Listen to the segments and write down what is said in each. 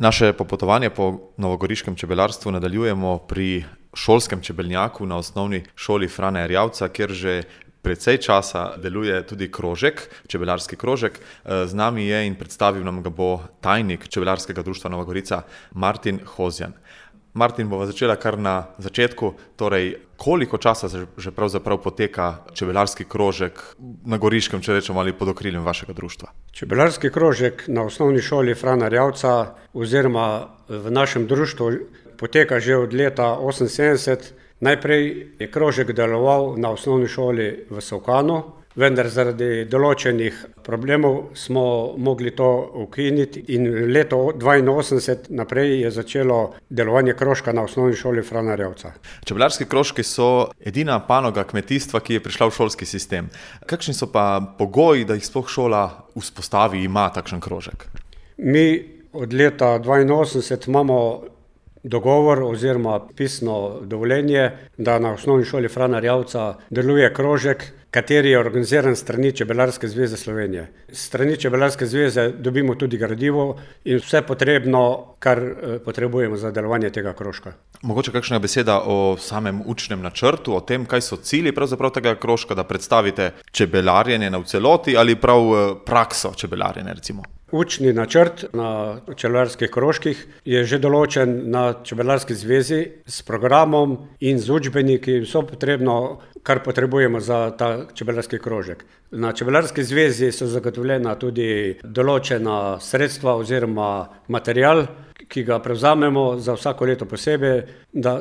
Naše popotovanje po novogoriškem čebelarstvu nadaljujemo pri šolskem čebelnjaku na osnovni šoli Frana Erjavca, kjer že precej časa deluje tudi krožek, čebelarski krožek. Z nami je in predstavil nam ga bo tajnik Čebelarskega društva Nova Gorica Martin Hozjan. Martin, bova začela kar na začetku, torej koliko časa že pravzaprav poteka čebelarski krožek na Goriškem, če rečemo, ali pod okriljem vašega društva? Čebelarski krožek na osnovni šoli Frana Erjavca oziroma v našem društvu poteka že od leta 1978. Najprej je krožek deloval na osnovni šoli v Solkanu, vendar zaradi določenih problemov smo mogli to ukiniti in leto 1982 naprej je začelo delovanje krožka na osnovni šoli Frana Erjavca. Čebelarski krožki so edina panoga kmetijstva, ki je prišla v šolski sistem. Kakšni so pa pogoji, da jih sploh šola vzpostavi, ima takšen krožek? Mi od leta 1982 imamo dogovor oziroma pisno dovoljenje, da na osnovni šoli Frana Erjavca deluje krožek, kateri je organiziran s strani Čebelarske zveze Slovenije. S strani Čebelarske zveze dobimo tudi gradivo in vse potrebno, kar potrebujemo za delovanje tega krožka. Mogoče kakšna beseda o samem učnem načrtu, o tem, kaj so cilji pravzaprav tega krožka, da predstavite čebelarjenje v celoti ali prav prakso čebelarjenja recimo? Učni načrt na čebelarskih krožkih je že določen na Čebelarski zvezi s programom in z učbeniki in vso potrebno, kar potrebujemo za ta čebelarski krožek. Na Čebelarski zvezi so zagotovljena tudi določena sredstva oziroma material, ki ga prevzamemo za vsako leto posebej,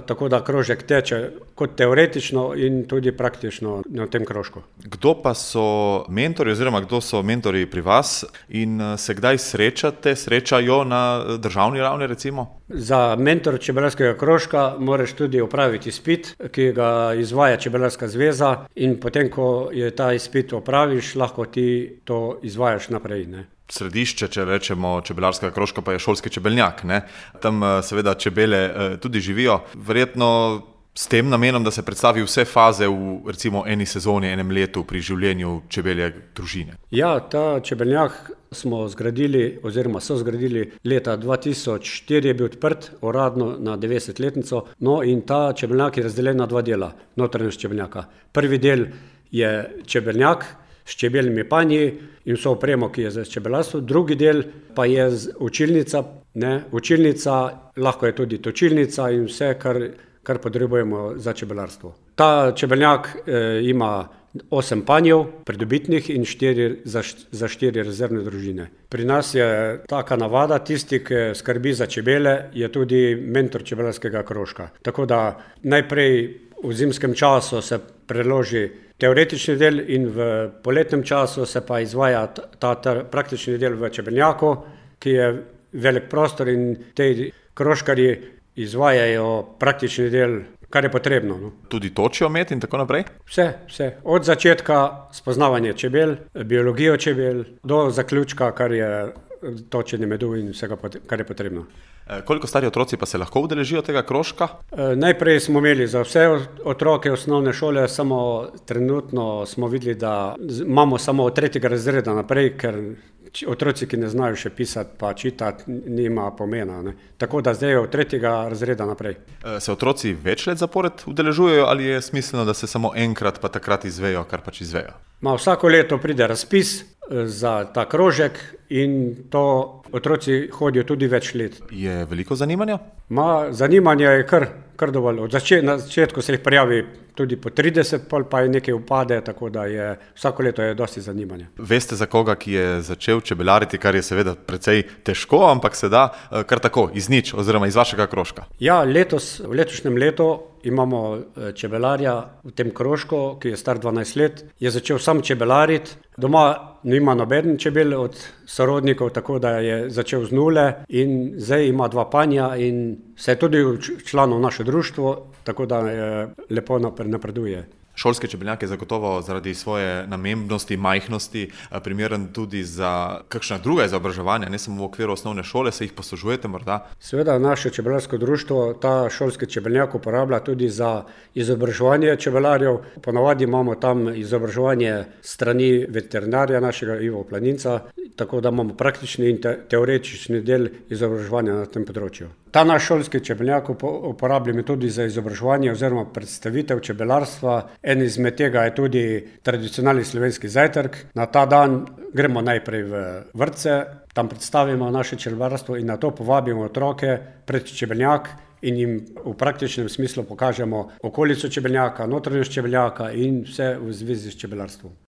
tako da krožek teče kot teoretično in tudi praktično na tem krožku. Kdo pa so mentorji oziroma kdo so mentorji pri vas in se kdaj srečajo na državni ravni recimo? Za mentor čebelarskega krožka moraš tudi opraviti izpit, ki ga izvaja Čebelarska zveza in potem, ko je ta izpit opraviš, lahko ti to izvajaš naprej, ne? Središče, če rečemo, čebelarskega krožka pa je šolski čebelnjak, ne? Tam seveda čebele tudi živijo. Verjetno s tem namenom, da se predstavi vse faze v recimo eni sezoni, enem letu pri življenju čebelje družine. Ja, ta čebelnjak smo zgradili oziroma so zgradili leta 2004, je bil odprt uradno na 90-letnico, no in ta čebelnjak je razdeljen na dva dela, notranjost čebelnjaka. Prvi del je čebelnjak s čebeljimi panji in vso opremo, ki je za čebelarstvo. Drugi del pa je učilnica, učilnica, lahko je tudi točilnica in vse, kar potrebujemo za čebelarstvo. Ta čebeljak ima 8 panjev pridobitnih in 4 za 4 rezervne družine. Pri nas je taka navada, tisti, ki skrbi za čebele, je tudi mentor čebelarskega krožka. Tako da najprej v zimskem času se preloži teoretični del in v poletnem času se pa izvaja ta praktični del v čebelnjaku, ki je velik prostor in te krožkarji izvajajo praktični del, kar je potrebno. No. Tudi točijo med in tako naprej? Vse. Od začetka spoznavanje čebel, biologijo čebel, do zaključka, kar je točenje medu in vsega, kar je potrebno. Koliko stari otroci pa se lahko udeležijo tega krožka? Najprej smo imeli za vse otroke osnovne šole, samo trenutno smo videli, da imamo samo od 3. razreda naprej, ker otroci, ki ne znajo še pisati pa čitati, nima pomena, ne. Tako da zdaj je od 3. razreda naprej. Se otroci več let zapored udeležujejo ali je smiselno, da se samo enkrat pa takrat izvejo, kar pač izvejo? Vsako leto pride razpis za ta krožek in to otroci hodijo tudi več let. Je veliko zanimanja? Zanimanje je kar dovolj. Na začetku se jih prijavi tudi po 30, pa je nekaj upade, tako da je vsako leto je dosti zanimanja. Veste za koga, ki je začel čebelariti, kar je seveda precej težko, ampak se da kar tako, iz nič oziroma iz vašega krožka? Ja, v letošnjem letu imamo čebelarja v tem krožku, ki je star 12 let, je začel sam čebelariti. Doma nima noben čebel od sorodnikov, tako da je začel z nule in zdaj ima 2 panja in se je tudi članov naše društvo, tako da lepo napreduje. Šolski čebeljak je zagotovo zaradi svoje namembnosti, majhnosti primeren tudi za kakšna druga izobraževanja, ne samo v okviru osnovne šole, se jih poslužujete morda? Seveda naše čebelarsko društvo ta šolski čebeljak uporablja tudi za izobraževanje čebelarjev. Ponavadi imamo tam izobraževanje strani veterinarja našega Ivo Planinca, tako da imamo praktični in teoretični del izobraževanja na tem področju. Ta naš šolski čebeljak uporabljamo tudi za izobraževanje oziroma predstavitev čebelarstva. En izmed tega je tudi tradicionalni slovenski zajtrk. Na ta dan gremo najprej v vrtce, tam predstavimo naše čebelarstvo in na to povabimo otroke pred čebeljak in jim v praktičnem smislu pokažemo okolico čebeljaka, notranjost čebeljaka in vse v zvezi s čebelarstvom.